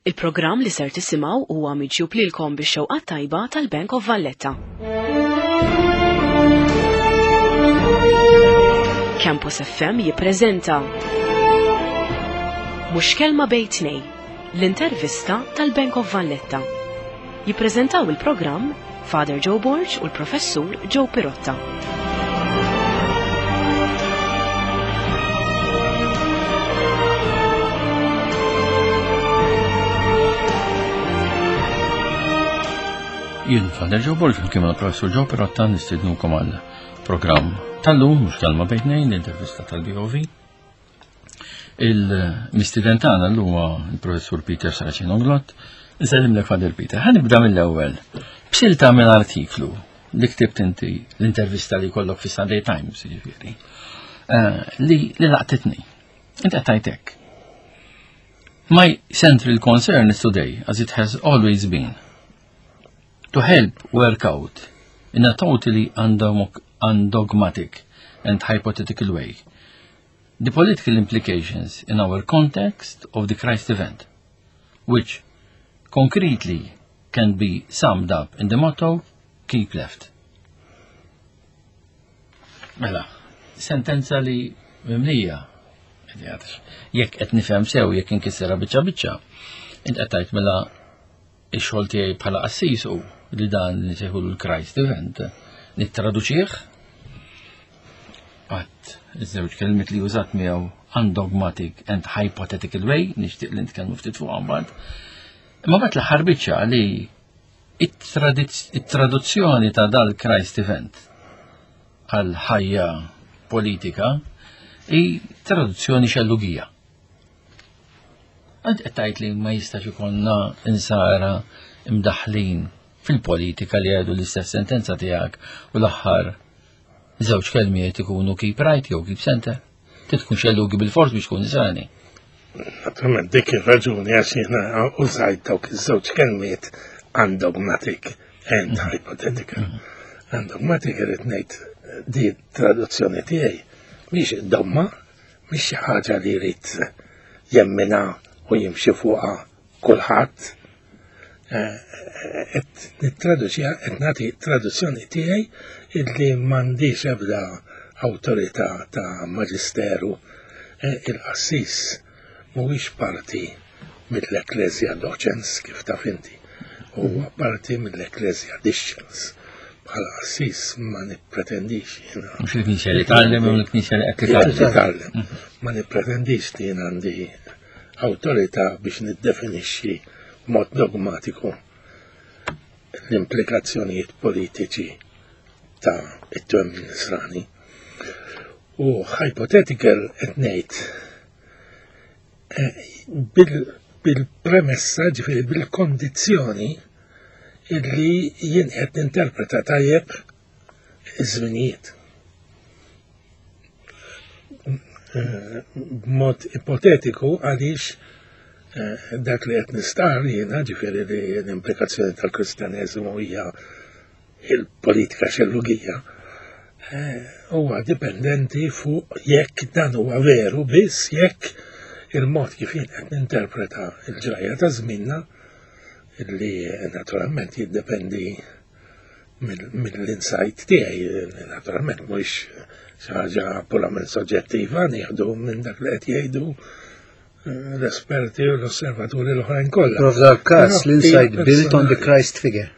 Il-programm li ser tisimgħu huwa miġjub lilkom bix-xewqa tajba tal-Bank of Valletta. Campus FM jippreżenta Mhux kelma bejn tnej, l-intervista tal-Bank of Valletta. Jippreżentaw il-programm Father Joe Borg u l-Professur Joe Pirotta. Jien Father Joe Borg, kien mal-Professur Joe Pirotta nistidnukom għal programm tal-lum, mhux kelma bejn l-intervista tal-BOV. Il-mistiden tagħna llum huwa l-Professur Peter Saraceno Glott. Nsellimlek Father Peter. Ħa nibda mill-ewwel. B'silta minn artiklu li ktibt inti l-intervista li kollok fi Sunday Times, jiġifieri, eh, li li laqtitni. Inti qed tgħid My central concern is today, as it has always been, to help work out in a totally undogmatic and hypothetical way the political implications in our context of the Christ event, which concretely can be summed up in the motto, keep left. Mela, sentenza li mimlija, jekk qed nifhem sew jekk inkissera biċċa biċċa, int qed tgħid mela ix-xogħol tiegħi bħala qassis hu li dan li sejħulu l-Christ event nittraduċih għat iż-żewġ kelmiet li użat miegħu undogmatic and hypothetical way, nixtieq li nitkellmu ftit fuq mbagħad. Imma mbagħad l-aħħar biċċa li it-traduzzjoni ta' dal-Christ event għal ħajja politika hi traduzzjoni xellugija. Int qed tgħid li ma jistax ikollna insara imdaħħlin fil-politika li jgħidu l-istess sentenza tiegħek u l-aħħar żewġ kelmiet ikunu keep right jew keep center. Trid tkun xellugi bil-fors biex tkun nisrani. Naturalment dik ir-raġuni għax jiena użajt dawk iż-żewġ kelmiet undogmatic and mm-hmm. hypothetical. Mm-hmm. Undogmatic irid ngħid di traduzzjoni tiegħi mhix dogma, Mhix xi ħaġa li jrid jemminha u jimxi fuqha kulħadd. Eh, qed nittraduċiha qed nagħti traduzzjoni tiegħi illi m'għandix ebda awtorità ta' maġisteru eh, il-qassis mhuwiex parti mill-Ecclesia Docens kif taf inti. Huwa parti mill-Ecclesia Discens. Bħala qassis ma nippretendix jiena. Mhux il-Knisja li tgħallem u l-Knisja li qed titgħallem. Mhm. Ma nippretendix li jien għandi awtorità biex niddefinixxi mod dogmatiku l-implikazzjonijiet politiċi ta' it-twemmin nisrani. U hypothetical qed ngħid bil-premessa, ġifieri bil-kondizzjoni illi jien qed ninterpreta tajjeb iż-żminijiet. B'mod ipotetiku għaliex eh, dak li qed nistar jiena ġifieri li l-implikazzjoni tal-Kristjaneżmu hija il-politika xellugija eh, huwa dipendenti fuq jekk dan huwa veru biss jekk il-mod kif jien qed ninterpreta l-ġrajja ta' żminna li naturalment jiddependi mill-insight tiegħi, naturalment mhux xi ħaġa purament soġġettiva nieħdu minn dak li qed jgħidu l-esperti u l-osservaturi l-oħrajn kollha. Prof dal-każ l-insight built on the Christ figure.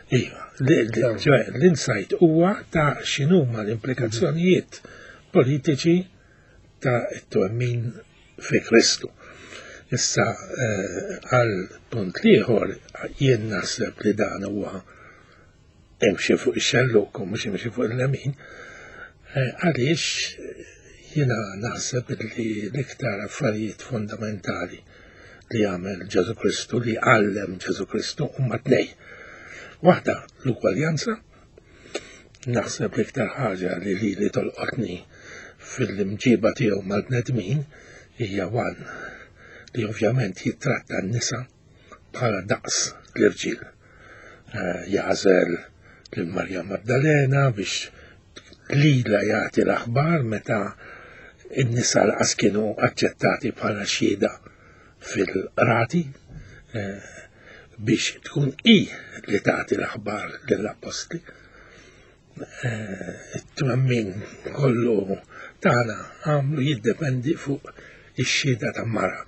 Iva, l-insight huwa ta' x'inhuma l-implikazzjonijiet politiċi ta' t-twemmin fi Kristu. Issa eh, għal punt liħor jien naħseb li dan huwa imxi fuq ix-xellug u mhux imxi fuq il-lemin, eh, għaliex jiena naħseb li l-iktar affarijiet fundamentali li għamel Ġesu Kristu, li għallem Ġesu Kristu huma tnej. Waħda l-ugwaljanza, naħseb l-iktar ħaġa li li li tolqotni fil-imġiba tiegħu mal-bnedmin hija wan li ovvjament jittratta n-nisa bħala daqs l-irġiel. Eh, jagħżel lil Marja Maddalena biex lila jagħti l-aħbar meta n-nisa laqas kienu aċċettati bħala xhieda fil-qrati. eh, biex tkun i li tagħti l-aħbar lill-appostli. Eh, it-twemmin kollu tagħna għamlu jiddependi fuq ix-xhieda ta' mara.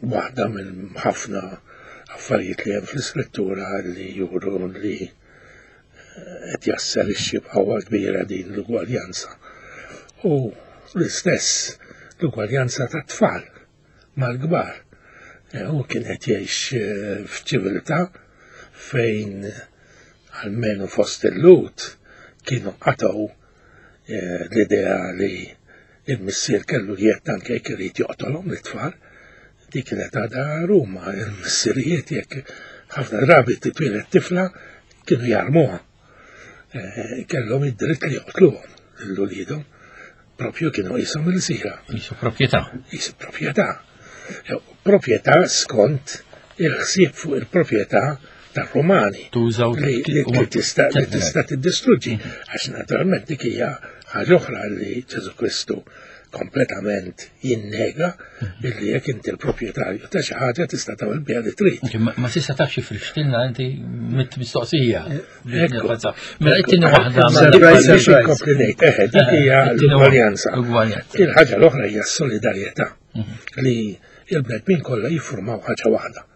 Waħda minn ħafna affarijiet li hemm fl-iskrittura li juru li eh, qed jasserixxi b'qawwa kbira din l-ugwaljanza. U l-istess l-ugwaljanza tat-tfal mal-kbar. Eh, hu kien qed jgħix eh, f'ċiviltà fejn almenu fost il-Lhud kienu qatgħu eh, l-idea li il-missier kellu jett anke jekk irid joqtolhom l-tfal. Dik kienet għadha Ruma, il-missirijiet jekk ħafna drabi titwieled tifla kienu jarmuha. Kellhom id-dritt li joqtluhom lil uliedhom. Propju kienu qishom ilsira. Qisu proprjetà. Qisu proprjetà. Proprjetà skont il-ħsieb fuq il-proprjetà tar-Rumani. Tużaw li tista' li tista' tiddistruġġi. Għax naturalment dik hija ħaġa oħra li Ġesu Kristu kompletament jinnega billi jekk inti l-proprjetarju ta' xi ħaġa tista' tagħmel biha li trid. Ma tista' tafx ifrixtilna inti mit-mistoqsija. Mela it-tieni waħda. Biex inkompli ngħid, eħe, dik hija l-ugwaljanza. Il-ħaġa l-oħra hija s-solidarjetà mhm. li il-bnedmin kollha jiffurmaw ħaġa waħda.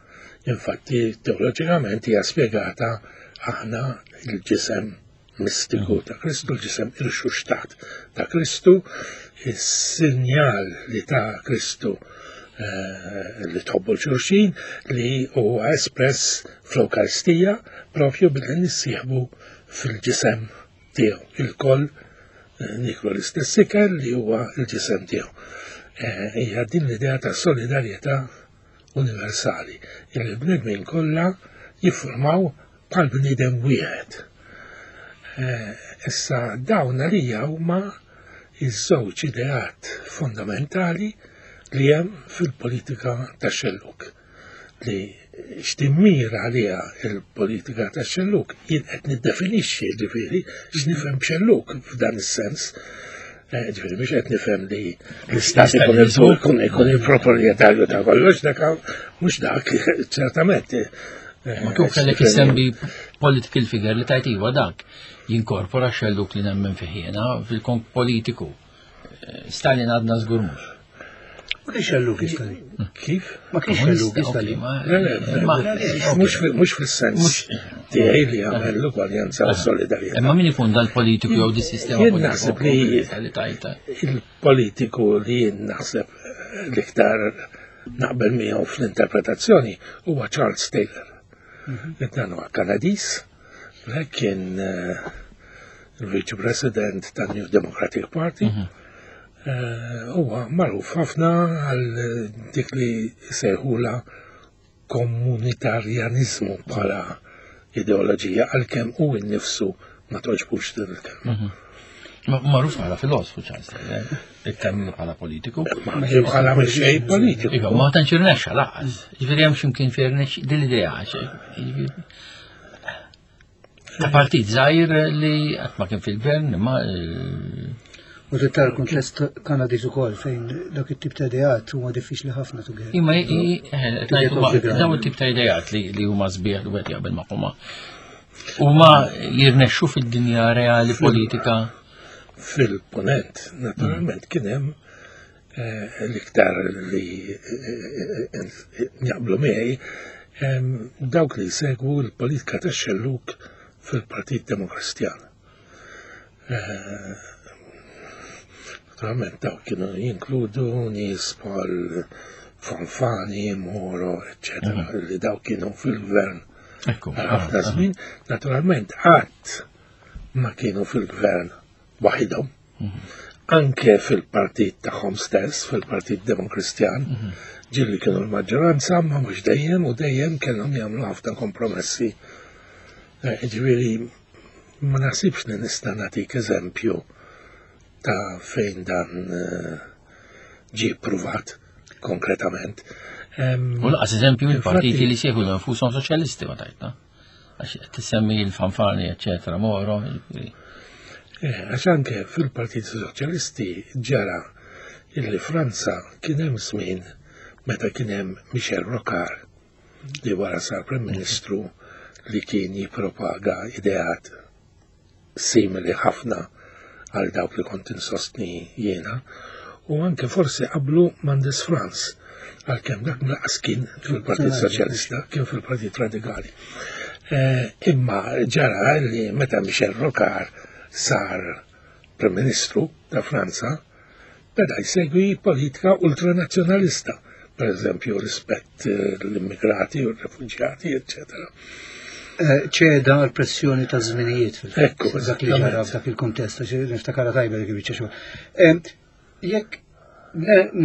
Infatti, teoloġikament hija spjegata aħna il-ġisem mistiku ta' Kristu, l-ġisem irxuxtat ta' Kristu, is-sinjal li ta' Kristu eh, li tħobbu l-xulxin li huwa espress fl-Ewkaristija propju billi nissieħbu fil-ġisem tiegħu. Il-koll eh, niklu l-istess ikel li huwa l-ġisem tiegħu. Eh, hija din l-idea ta' solidarjetà universali, il-bnedmin kollha jiffurmaw bħal bniedem wieħed. Eh, issa dawn għalija huma iż-żewġ ideat fundamentali li hemm fil-politika tax-xellug li x'timmira għaliha il-politika tax-xellug jien qed niddefinixxi ġifieri x'nifhem b'xellug f'dan is-sens. Eh, ġifieri mhux qed nifhem li l-istat ikun ikun il-proprjetarju ta' kollox dak mhux dak ċertament. Eh, Ma kif kellek issemmi political figure li tajt iva dak jinkorpora xelluk li nemmen fih jiena fil-konk politiku. Eh, Stalin għadna żgur mhux. Ma kienx xelluk Stalin. Kif? Ma kienx xelluk Stalin. Mhux fis-sens tiegħi li għamel l-ugwaljanza u solidarjetà. Imma min ikun dal-politiku jew dis-sistema Jien naħseb li il-politiku li jien naħseb l-iktar naqbel miegħu fl-interpretazzjoni huwa Charles Taylor. Mhm. Dan huwa Kanadiż, kien eh, il-Vice President tan-New Democratic Party. Mhm. Eh, huwa magħruf ħafna għal dik li sejħula komunitarjanizmu bħala ideoloġija għalkemm hu nnifsu ma toġbux din il-kelma. Mhm. Magħruf bħala filosfu Charles Taylor, iktar minnu bħala politiku. Bħala mexxej politiku. Iva, ma tantx irnexxa laqas. Ġifieri hemm x'imkien fejn irnexx din l-idea. Ta' partit żgħir li qatt ma kien fil-gvern, imma eh, U tittar kuntest Kanadiż ukoll fejn dak it-tip ta' ideat huma diffiċli ħafna to get. Imma eh, daw it-tip ta' ideat li huma sbieħ li wieħed jaqbel magħhom. Huma jirnexxu fid-dinja reali politika. Fil-ponent, naturalment, kien hemm eh, l-iktar li eh, jaqblu miegħi dawk li jsegwu l-politika tax-xelluk fil-Partit Demokristjan. Eh, naturalment dawk kienu jinkludu nies bħal Fanfani, Moro, eccetera, mhm. li dawk kienu fil-gvern. Ħafna żmien, naturalment qatt ma kienu fil-gvern waħidhom. Mhm. Anke fil-partit tagħhom stess, fil-Partit Demokristjan, mhm. ġilli kienu l-maġġoranza, ma mhux dejjem u dejjem kellhom jagħmlu ħafna kompromessi. Eh, ġifieri Ma naħsibx li nista' nagħtik eżempju ta' fejn dan eh, ġie ppruvat konkretament. U laqas eżempju mill-partiti li sejħu nfushom soċjalisti ma tajtna. Għax tissemmi l-fanfani, eccetera, Moro. Eh, għax anke fil-Partit Soċjalisti ġara illi Franza kien hemm żmien meta kien hemm Michel Rocard. li wara sar Prim Ministru li kien jippropaga ideat simili ħafna għal dawk li kont insostni jiena, u anke forsi qablu Mendes France, għalkemm dak lanqas kien fil-Partit Soċjalista, kien fil-Partit Radikali. Eh, imma ġara li meta Michel Rocard sar Prim Ministru ta' Franza, beda jsegwi politika ultranazzjonalista, per eżempju rispett eh, l-immigrati u r-refuġjati, eccetera. Eh, ċeda għal pressjoni ta' żminijiet fil-fatt. Dak li ġara f'dak il-kuntest, għax niftakara tajba dik il-biċċa xogħol. Eh, jekk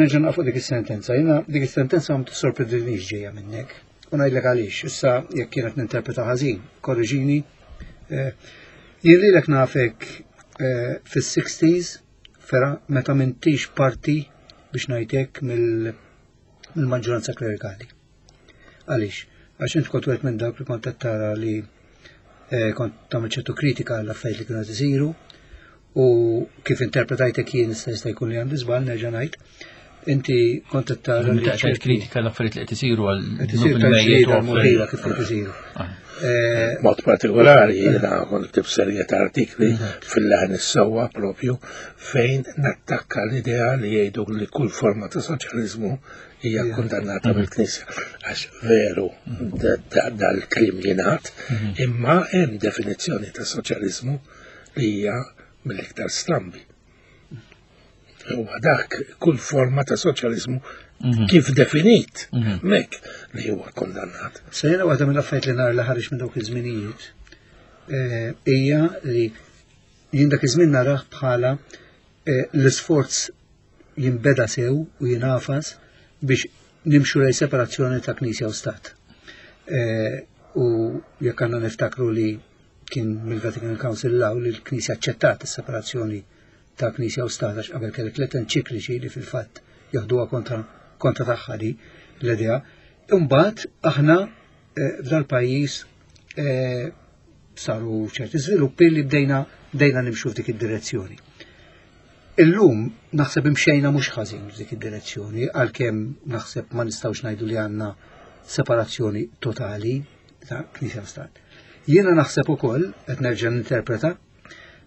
nerġa' naqfu dik is-sentenza, jiena dik is-sentenza ma tissorprendinix ġejja minnek. U ngħidlek għaliex, issa jekk kienet ninterpreta ħażin, korriġini. Jien lilek nafek fis-60s Fera meta m'intix parti biex ngħid hekk mill-maġġoranza klerikali. Għaliex? Għax int kont wieħed minn dawk li kont qed tara li eh, kont tagħmel ċertu kritika għall affarijiet li kienu qed isiru u kif interpretajtek jien issa jista' jkun li għandi żball nerġa' ngħid. Inti kont qed tara li kritika l-affarijiet li qed isiru għal qed isiru tal-ġlieda kif qed isiru. Ah. Eh, Mod partikolari jiena kont ktib serje ta' artikli fil-leħen is-sewwa propju fejn nattakka l-idea li jgħidu li kull forma ta' soċjaliżmu hija kundannata mhm. mill-Knisja. Għax veru dal-klim jingħad, mhm. imma hemm definizzjoni ta' soċjaliżmu li hija mill-iktar strambi. Huwa dak kull forma ta' soċjaliżmu mhm. kif definit mhm. mek li huwa kondannat. Se jiena waħda mill-affarijiet li nar li ħareġ minn dawk iż-żminijiet eh, hija li jien dak iż-żmien narah bħala eh, l-isforz jinbeda sew u jinafas biex nimxu lej separazzjoni ta' Knisja u Stat. Eh, u jekk għandna niftakru li kien mill-Vatican Council law li l-Knisja aċċettat is-separazzjoni ta' Knisja u Stat għax qabel kellek tliet enċikliċi li fil-fatt jaħduha kontra kontra tagħha di l-idea. Imbagħad aħna eh, f'dal-pajjiż eh, saru ċerti żviluppi li bdejna bdejna nimxu f'dik id-direzzjoni. Illum naħseb imxejna mhux ħażin f'dik id-direzzjoni għalkemm naħseb ma nistgħux ngħidu li għandna separazzjoni totali ta' Knisja u Stat. Jiena naħseb ukoll, qed nerġa' ninterpreta,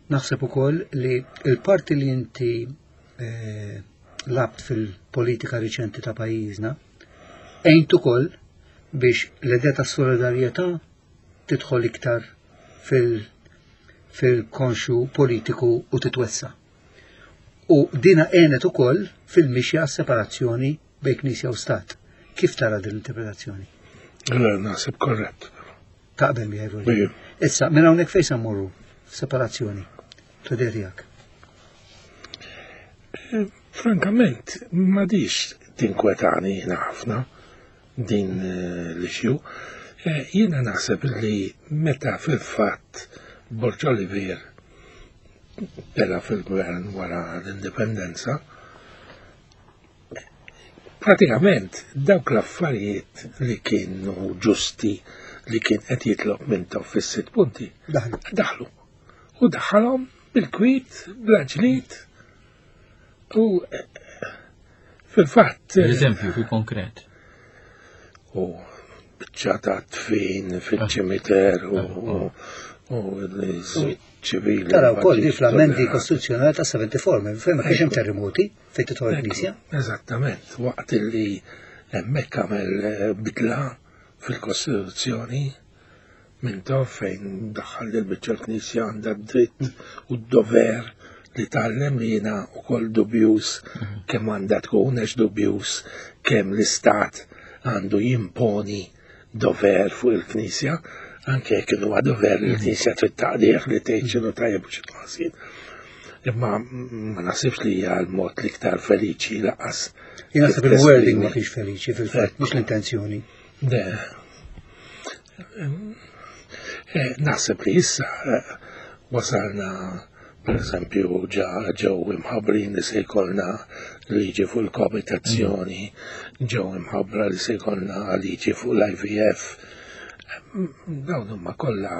Naħseb ukoll li l-parti li inti eh, labt fil-politika riċenti ta' pajjiżna għejnt ukoll biex l-idea ta' solidarjetà tidħol iktar fil-konxu politiku u titwessa. U dina għenet ukoll fil-mixja separazzjoni bejn Knisja u Stat. Kif tara din l-interpretazzjoni? Naħseb korrett. Taqbel miegħi Roger. Issa, minn hawnhekk fejn se mmorru? Separazzjoni. L-idea tiegħek. Eh, frankament, m'għadix tinkwetani jiena ħafna din eh, l-issue. Eh, jiena naħseb li meta fil-fatt Borġ Olivier tela fil-gvern wara l-indipendenza, Pratikament dawk l-affarijiet li kienu ġusti li kien qed jitlob Mintoff fis-sitt punti daħlu. U daħħalhom bil-kwit, bla ġlid. U eh, fil-fatt. Per eżempju, fil-konkret. U biċċa ta' tfin fil-ċimiter u ah, ah. ċivili. Tara wkoll li fl-amendi kostituzzjonali ta' 74, minn fejn ma kienx hemm terremoti fejn tidħol il-Knisja. Eżattament, waqt li hemmhekk għamel eh, bidla fil-Kostituzzjoni minn tof fejn daħħal li l-biċċa l-Knisja għandha dritt u d-dover li tgħallem li jiena wkoll dubjuż mhm. kemm għandha tkun għax dubjuż kemm l-istat għandu jimponi dover fuq il-Knisja, anke jekk huwa dover li l-Knisja trid taqdih li tgħid x'inhu tajjeb u x'inhu ħażin. Imma ma naħsibx li hija l-mod l-iktar feliċi laqas. Jien naħseb il-wording ma kienx feliċi fil-fatt, mhux l-intenzjoni. Eh, naħseb li issa eh, wasalna per eżempju ġa ġew imħabbrin li se jkollna liġi fuq il-koabitazzjoni, ġew imħabbra li se jkollna liġi fuq l-IVF. Dawn huma kollha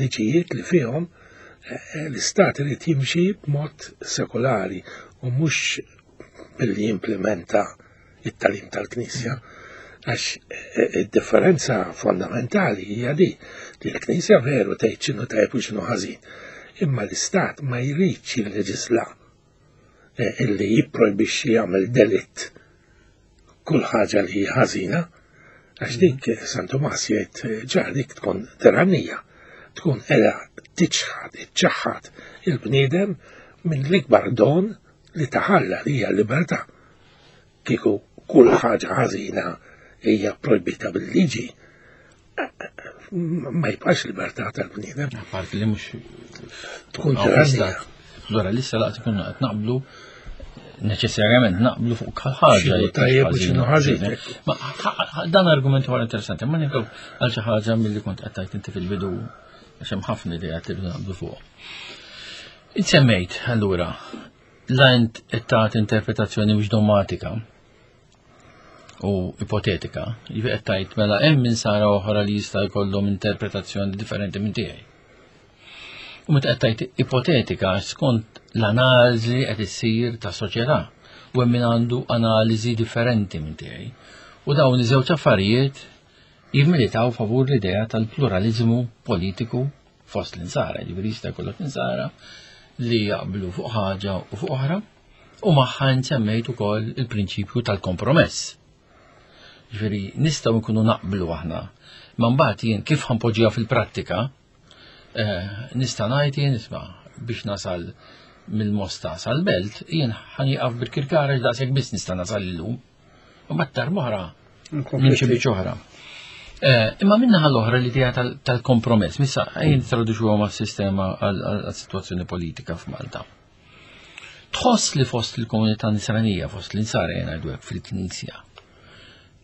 liġijiet li fihom eh, l-istat irid jimxi b'mod sekolari u mhux billi jimplementa it-talim tal-Knisja. Għax id-differenza fondamentali hija di li l-Knisja veru tgħid x'inhu tajjeb u x'inhu ħażin. Imma l-Istat ma jridx jilleġisla illi jipprojbixxi jagħmel delitt kull ħaġa li hija ħażina, għax dik San Tumas jgħid ġar dik tkun tirannija, tkun qiegħda tiċħad, iċċaħħad il-bniedem minn l-ikbar don li taħalla li hija l-libertà. Kieku kull ħaġa ħażina hija projbita bil-liġi, ma jibqax libertà tal-bniedem. Apparti li mhux tkun tirannija. Pluralista laqt ikun qed naqblu neċessarjament naqblu fuq ħaġa. Tajjeb u x'inhu ħażin. Ma dan argument huwa interessanti, ma nieħdu għal xi ħaġa milli kont qed tgħid inti fil-bidu għax hemm ħafna idejat li naqblu fuq. Insemmejt allura la int qed tagħti interpretazzjoni mhux dogmatika u ipotetika, jiġifieri qed tgħid mela hemm insara oħra li jista' jkollhom interpretazzjoni differenti minn tiegħi. U meta qed tgħid ipotetika skont l-analiżi qed issir ta' soċjetà u hemm min għandu analiżi differenti minn tiegħi. U dawn iż-żewġ affarijiet jimmilitaw favur l-idea tal-pluralizmu politiku fost l-insara, jiġifieri jista' jkollok insara li jaqblu fuq ħaġa u fuq oħra, u magħha nsemmejt ukoll il-prinċipju tal-kompromess. Ġifieri nistgħu nkunu naqblu aħna, ma mbagħad jien kif ħanpoġġiha fil-prattika, nista' ngħid jien isma' biex nasal mill-Mosta sal-Belt, jien ħanieqaf bil-Kirkara daqshekk biss nista' nasal illum. U mbagħad darb'oħra nimxi biċ oħra. Imma minna l-oħra l-idea tal-kompromess, missa jien traduċuha ma' sistema għal-situazzjoni politika f'Malta. Tħoss li fost il-komunità nisranija, fost l-insara jena għajdu fil-Knisja,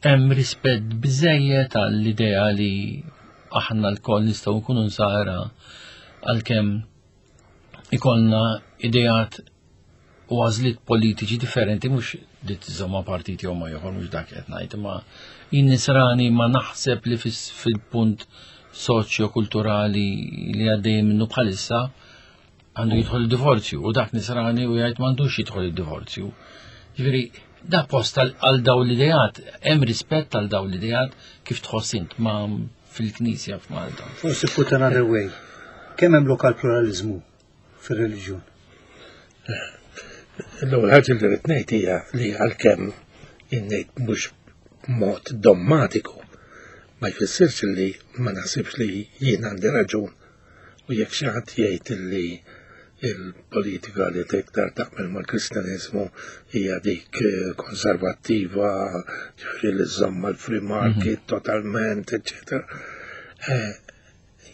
hemm rispett biżejjed għall-idea li aħna l-koll nistgħu nkunu nsara għalkemm ikollna ideat u għażliet politiċi differenti mhux li tiżomma partit jew ma ieħor mhux dak qed ngħid, imma jien nisrani ma naħseb li fil-punt soċjo-kulturali li għaddej minnu bħalissa għandu jidħol id-divorzju u dak nisrani u jgħid m'għandux jidħol id-divorzju. Ġifieri da post għal dawn l-ideat, hemm rispett għal dawn l-ideat kif tħoss int ma fil-Knisja f'Malta. Forsi put another way. Kemm hemm lokal pluralizmu fir-reliġjon? L-ewwel ħaġa li rrid ngħid hija li għalkemm ngħid mhux b'mod dommatiku ma jfissirx li ma naħsibx li jien għandi raġun u jekk xi ħadd jgħid li il-politika li iktar taqbel mal-Kristjaniżmu hija dik konservattiva, ġifieri li żżomm mal-free market totalment, eċċetera.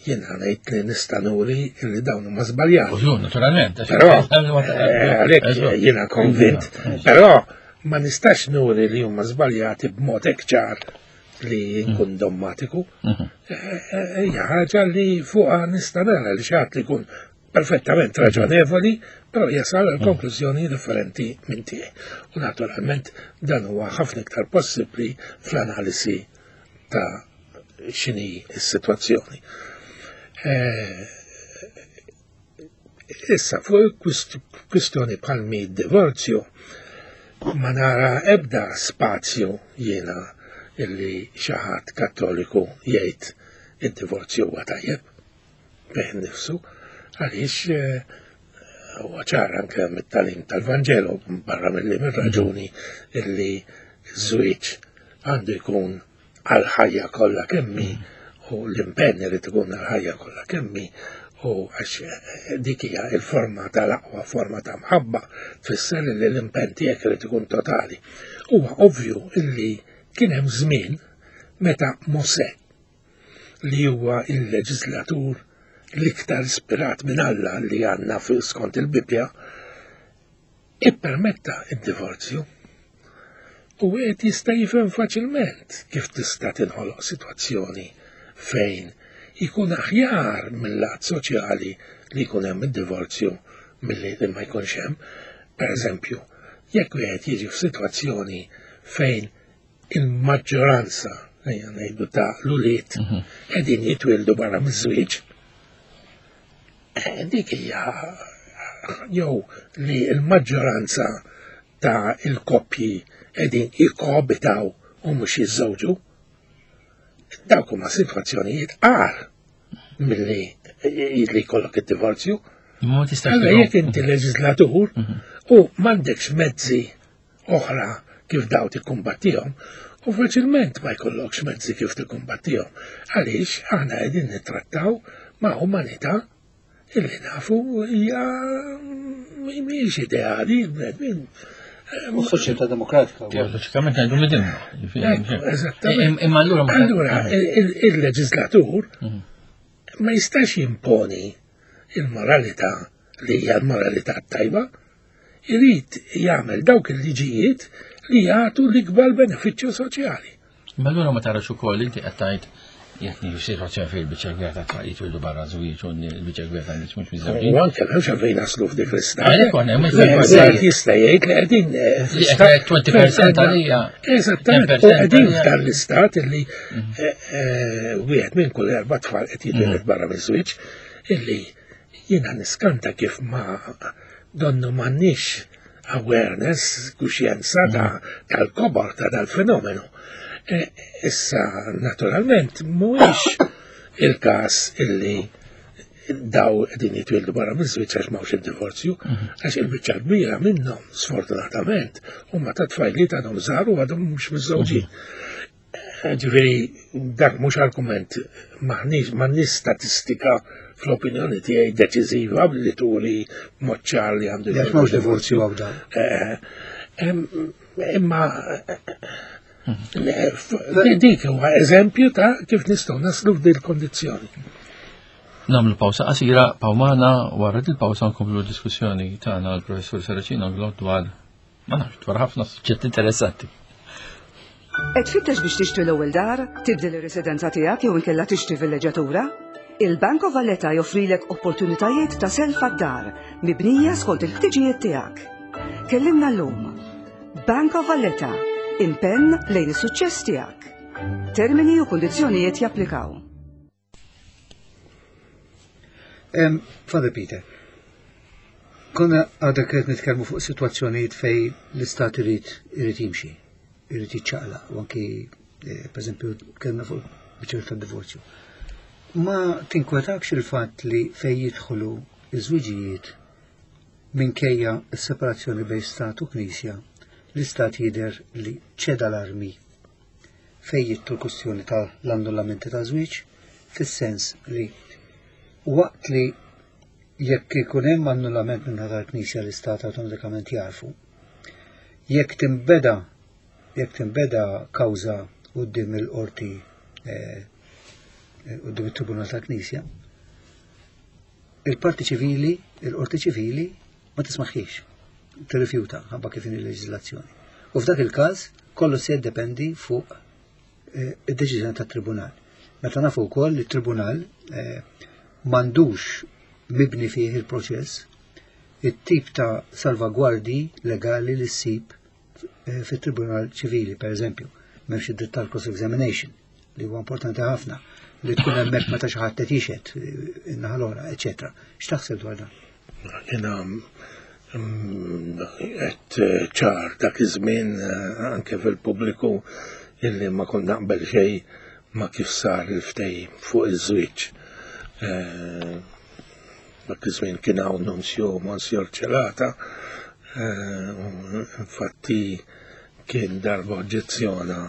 Jiena ngħid li nista' nuri li dawn huma żbaljati. Użu, naturalment. Però, għalhekk jiena konvint, però ma nistax nuri li huma żbaljati b'mod hekk ċar li nkun dommatiku. Hija ħaġa li fuqha nista' nara li xi ħadd li jkun perfettament raġonevoli, però jasal għal konklużjoni differenti minn tiegħi. U naturalment dan huwa ħafna iktar possibbli fl-analisi ta' x'inhi s-sitwazzjoni. Issa, fuq kwistjoni bħal mi divorzju, ma nara ebda spazju jiena illi xi ħadd Kattoliku jgħid id-divorzju huwa tajjeb bih innifsu, għaliex huwa ċar anke mit-tagħlim tal-Vanġelu barra milli mir-raġuni illi ż-żwieġ għandu jkun għall-ħajja kollha kemm hi u l-impenn irid ikun għall-ħajja kollha kemm hi u għax dik hija l-forma tal-aqwa forma ta' mħabba tfisser li l-impenn tiegħek irid ikun totali. Huwa ovvju illi kien hemm żmien meta Mosè li huwa il-leġislatur l-iktar ispirat minn Alla li għandna skont il-Bibbja, ippermetta d-divorzju. U wieħed jista' jifhem faċilment kif tista' tinħoloq sitwazzjoni fejn ikun aħjar mill-lat soċjali li jkun hemm id-divorzju milli li ma jkunx hemm. Per eżempju, jekk wieħed jiġi f'sitwazzjoni fejn il-maġġoranza, ejja ngħidu ta' l-ulied, qegħdin jitwieldu barra miż-żwieġ, dik hija jew li l-maġġoranza ta' il-koppji qegħdin jikkoabitaw u mhux jiżżewġu. Dawk huma sitwazzjonijiet agħar milli li jkollok id-divorzju. Ma tistax. Allora jekk inti leġislatur mhm. u m'għandekx mezzi oħra kif daw tikkumbattihom, u faċilment ma jkollokx mezzi kif tikkumbattihom. Għaliex aħna qegħdin nittrattaw ma' umanità illi nafu hija mhijiex ideali, bnedmin. U soċjetà demokratika. Teoloġikament ngħidu midinna. Eżattament. Imma allura Allura il-leġislatur mhm. ma jistax jimponi il-moralità li hija l-moralità tajba, irid jagħmel dawk il-liġijiet li jagħtu l-ikbar benefiċċju soċjali. Ma allura ma tarax ukoll inti qed tgħid jekk nieħu situazzjoni fejn il-biċċa kbira ta' tfal jitwildu barra żwieġ u l-biċċa kbira ta' nies mhux miżewġin. U anke m'hemmx għalfejn naslu f'dik l-istat. Għalhekk konna hemm il jista' jgħid li qegħdin 20% eh, għalija. Eżattament, u qegħdin f'dan l-istat illi mhm. eh, eh, wieħed minn kull erba' tfal qed jitwieled mhm. barra miż-żwieġ illi jiena niskanta kif ma donnu m'għandniex awareness, kuxjenza ta' mm. tal-kobor ta' dal-fenomenu. E, issa, naturalment, mhuwiex il-każ illi daw din jitwildu barra miż-żwieġ għax m'hawnx id-divorzju, mhm. għax il-biċċa kbira minnhom, sfortunatament, huma ta' tfajliet għadhom żgħar u għadhom mhux miżżewġin. Mhm. Ġifieri dak mhux argument m'aħniex m'għandniex statistika fl-opinjoni tiegħi deċiżiva li turi mod ċar li għandu. Jekk m'hawnx divorzju hawn dan. Eh, imma eh, dik huwa eżempju ta' kif nistgħu naslu f'dil kondizzjoni. Namlu pawsa qasira, pawmana, wara il-pawsa nkomplu diskussjoni tagħna l-professur Saracino dwar Ma nafx, dwar ħafna suġġetti interessanti. Qed tfittex biex tixtri l-ewwel dar, tibdel ir-residenza tiegħek jew inkella tixtri villeġġatura? Il-Bank of Valletta joffrilek opportunitajiet ta' self għad-dar mibnija skont il-ħtiġijiet tiegħek. Kellimna llum. Bank of Valletta, impenn lejn is-suċċess tiegħek. Termini u kundizzjonijiet japplikaw. Father Peter, konna għadha qed nitkellmu fuq sitwazzjonijiet fej l-istat irid irid jimxi, irid jiċċaqlaq, u anki eh, pereżempju kellna fuq biċċer tad-divorzju. Ma tinkwetakx il-fatt li fej jidħlu iż-żwiġijiet minkejja s-separazzjoni bejn stat u knisja, l-istat jidher li ċeda l-armi fejn jidħlu l-kwistjoni ta' l-annullamenti ta' żwieġ, fis-sens li waqt li jekk ikun hemm annullament minn tal-Knisja l-Istat awtomatikament jarfu. Jekk tinbeda jekk tinbeda kawża quddiem il-qorti eh, quddiem it-Tribunal tal-Knisja, il-parti ċivili, il-qorti ċivili ma tismaħħiex, tirrifjuta ħabba kif inhi l-leġiżlazzjoni. U f'dak il-każ kollu se jiddependi fuq eh, id-deċiżjoni tat-tribunal. Meta nafu wkoll li t-tribunal eh, m'għandux mibni fih il-proċess it-tip ta' salvagwardi legali li ssib eh, fit-tribunal ċivili, per eżempju, m'hemmx id-dritt tal-cross examination li huwa importanti ħafna li tkun hemmhekk meta xi ħadd qed jixhed eh, in-naħa l-oħra, eċetera. X'taħseb dwar dan? Jiena mm, qed eh, ċar dak iż-żmien eh, anke fil-pubbliku illi ma kont naqbel xejn ma kif sar il-ftehim fuq iż-żwieġ. Dak iż-żmien kien hawn Nunzio Monsignor Celata, infatti kien darba oġġezzjona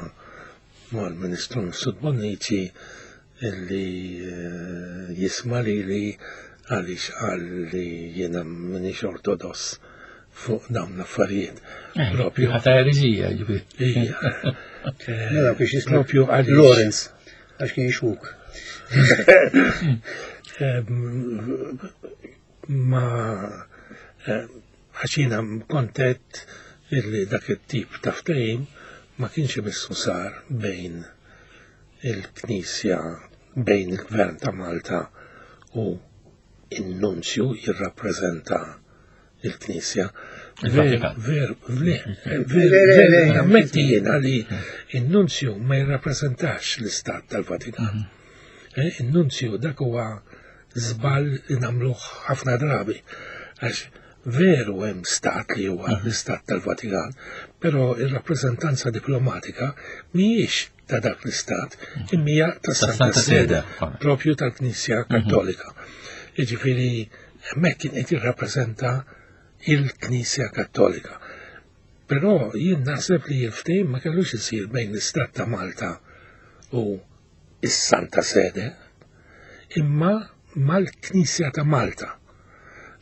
mal-Ministru Mifsud Bonnici illi eh, jisma' lili għaliex qal li jiena m'iniex ortodoss fuq dawn l-affarijiet. Eh, propju. Ħata ereżija, ġifieri. Eh, mela biex jisma' propju għaliex. Lawrence, għax kien jixwuk. Ma Għax jiena kontet illi dak it-tip ta' ftehim ma kienx imissu sar bejn il-Knisja, bejn il-Gvern ta' Malta u in-nunzju jirrappreżenta il-Knisja. Ver, ver, nammetti jiena li in-nunzju ma jirrappreżentax l-Istat tal-Vatikan. Mhm. Eh, in-nunzju dak huwa żball li nagħmluh ħafna drabi. Għax Veru hemm stat li huwa l-istat tal-Vatikan, però ir-rappreżentanza diplomatika mhijiex ta' dak l-istat, imma hija tas-Santa Sede, propju tal-Knisja Kattolika. Jiġifieri hemmhekk kien qed jirrappreżenta il-Knisja Kattolika. Però jien naħseb li l-ftehim ma kellux isir bejn l-Istat ta' Malta u s-Santa Sede, imma mal-Knisja ta' Malta.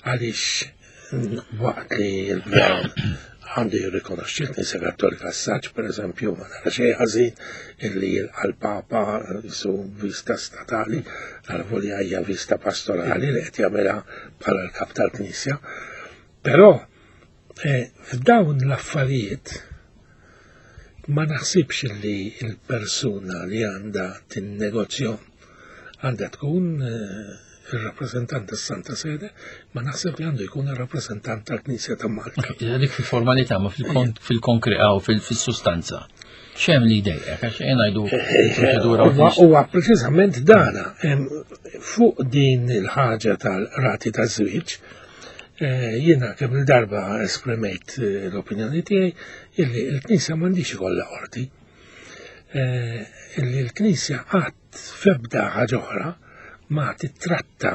Għaliex waqt li l-gvern għandu jirrikonoxxi l-Knisja Kattolika s-saċ, per eżempju, ma nara xejn ħażin illi jilqa' l-Papa su vista statali, għal hija vista pastorali li qed jagħmilha bħala l-kap tal-Knisja. Però f'dawn l-affarijiet ma naħsibx li l-persuna li għandha tinnegozjahom għandha tkun il-rappresentant tas-Santa Sede, ma naħseb li għandu jkun il-rappresentant tal-Knisja ta' Malta. Dik fil-formalità, ma fil-konkret u fil-sustanza. X'hemm li jdejqek, għax jien ngħidu proċedura. Huwa preċiżament dana fuq din il-ħaġa tal-rati taż-żwieġ. Jiena kemm il-darba esprimejt l-opinjoni tiegħi illi l-Knisja m'għandix ikollha qorti. Illi l-Knisja qatt f'ebda ħaġa oħra ma titratta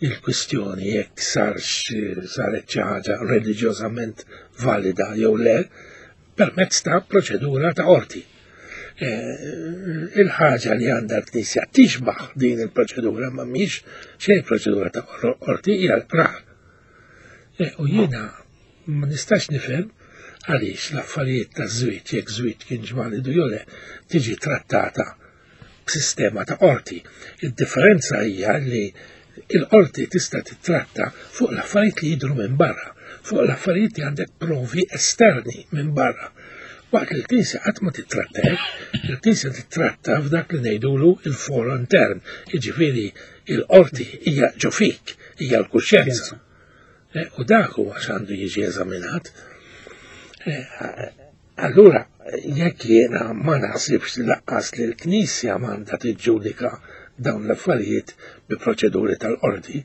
il-kwistjoni jekk sarx saret xi ħaġa reliġjożament valida jew le permezz ta' proċedura ta' qorti. Il-ħaġa li għandha l-Knisja tixbaħ din il-proċedura ma mhix xejn proċedura ta' qorti hija l-qrar. U jiena ma nistax nifhem għaliex l-affarijiet ta' żwieġ jekk żwieġ kien validu jew le tiġi trattata b'sistema ta' qorti. Id-differenza hija li il-qorti tista' titratta fuq l-affarijiet li jidhru minn barra, fuq l-affarijiet li għandek provi esterni minn barra. Waqt li l-Knisja qatt ma titratta hekk, il-Knisja titratta f'dak li ngħidulu il-foro intern, jiġifieri il-qorti hija ġo fik, hija l-kuxjenza. U dak huwa x'għandu jiġi eżaminat. Allura, jekk jiena ma naħsibx li lanqas li l-Knisja m'għandha tiġġudika dawn l-affarijiet bi proċeduri tal-qorti,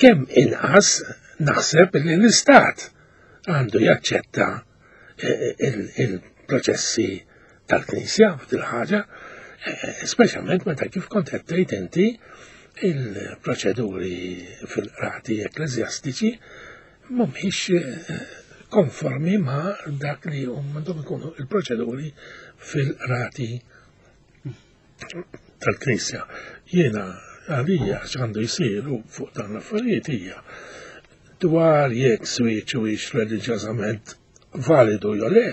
kemm inqas naħseb li l-Istat għandu jaċċetta il-proċessi tal-Knisja f'dil ħaġa, speċjalment meta kif kont qed tgħid inti il-proċeduri fil-qrati ekkleżjastiċi mhumiex konformi ma' dak li għandhom ikunu il-proċeduri fil-qrati tal-Knisja. Jiena għalija x'għandu jsir fuq dan l-affarijiet hija dwar jekk żwieġ huwiex reliġjożament validu jew le,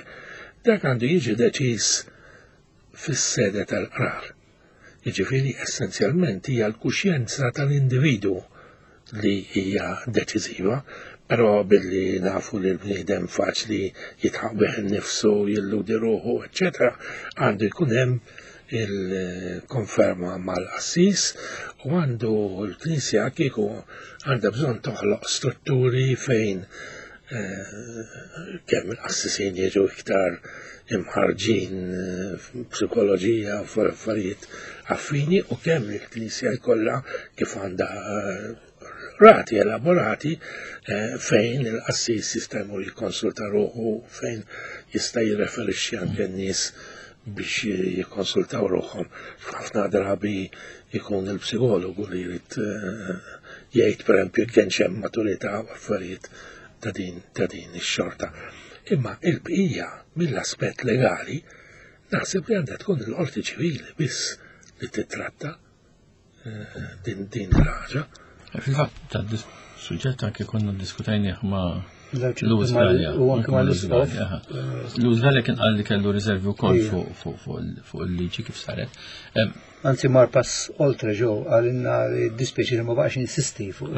dak għandu jiġi deċiż fis-sede tal-qrar. Jiġifieri essenzjalment hija l-kuxjenza tal-individwu li hija deċiżiva, però billi nafu li l-bniedem faċli jitħaq bih innifsu, jilludi ruħu, eċċetera, għandu jkun hemm il-konferma mal-qassis u għandu l-Knisja kieku għandha bżonn toħloq strutturi fejn kemm il-qassisin jiġu iktar imħarġin psikoloġija u affarijiet affini u kemm il-Knisja jkollha kif għandha rati elaborati fejn il-qassis jista' jmur jikkonsulta ruħu, fejn jista' jirreferixxi anke n-nies biex jikkonsultaw ruħhom. Ħafna drabi jkun il-psikologu li jrid jgħid pereżempju kienx hemm maturità u affarijiet ta' din ta' din ix-xorta. Imma il-bqija mill-aspett legali naħseb li għandha tkun il-qorti ċivili biss li titratta din din il-ħaġa. Fil-fatt ta' suġġett anke konna diskutajnieh ma' Louis Galea. U anke ma' l-Isqof. Louis Galea kien qal li kellu riservi wkoll fuq il-liġi kif saret. Anzi mar pass oltre ġew għalinna li dispjaċi li ma baqax insisti fuq.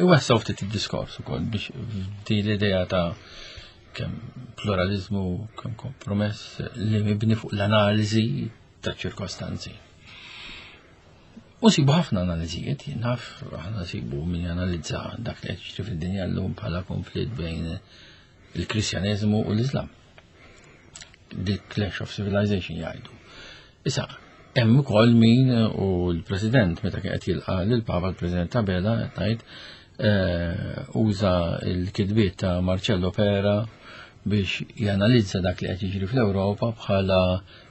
Iwessaw ftit id-diskors ukoll biex din l-idea ta' kemm pluralizmu, kemm kompromess li mibni fuq l-analiżi ta' ċirkostanzi. U sibu ħafna analiżijiet, naf aħna sibu min janalizza dak li qed jiġri fid-dinja llum bħala konflitt bejn il-Kristjaneżmu u l-Islam. The Clash of Civilization jgħidu. Issa, hemm ukoll min u l-President meta kien qed jilqa' lill-Papa l-President Abela qed ngħid. Uża l-kitbiet ta' Marcello Pera biex janalizza dak li qed jiġri fl-Ewropa bħala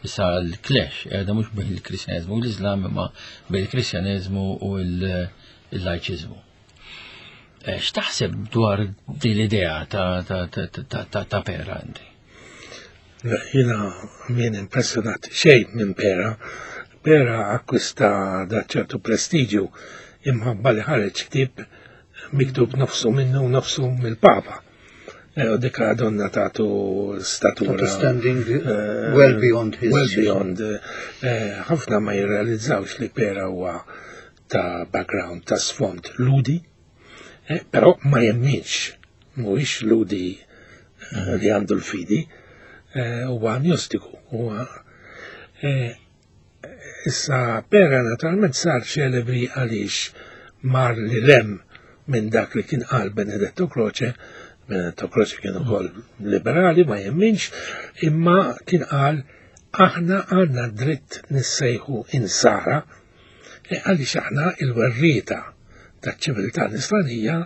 issa l-clash qiegħda mhux bejn il-Kristjaneżmu u l-Iżlam imma bejn il-Kristjaneżmu u l-lajċiżmu. Eh, x'taħseb dwar din l-idea ta' Pera inti? Jiena min impressjonat xejn minn Pera. Pera akkwista da ċertu prestiġju imħabba li ħareġ ktieb miktub nofsu minnu u nofsu mill-Papa. Eh, u dika donna tagħtu statura. Standing eh, well beyond his. Well beyond. Eh, ħafna ma jirrealizzawx li Pera huwa ta' background ta' sfond ludi, però ma jemminx, mhuwiex ludi li għandu l-fidi, huwa agnostiku, huwa Issa Pera naturalment sar ċelebri għaliex mar li lem minn dak li kien qal Benedetto Croce, Benedetto Croce kien ukoll liberali ma jemminx, imma kien qal aħna għandna dritt nissejħu insara e għaliex aħna il-werrieta taċ-ċiviltà nisranija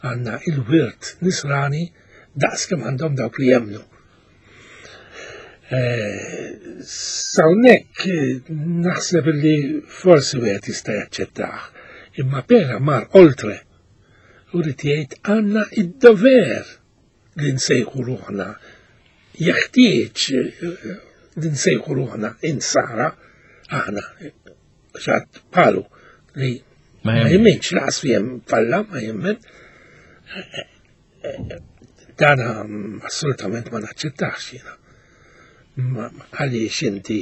għandna il-wirt nisrani daqs kemm għandhom dawk li jemmnu. Eh, Sawnek naħseb li forsi wieħed jista' jaċċettah, imma pera mar oltre u rrid jgħid għandna id-dover li nsejħu ruħna jeħtieġ eh, li nsejħu ruħna insara aħna xatt palu li ma jemminx laqas fihem falla ma jemmen Dana assolutament ma naċċettax jiena. Għaliex inti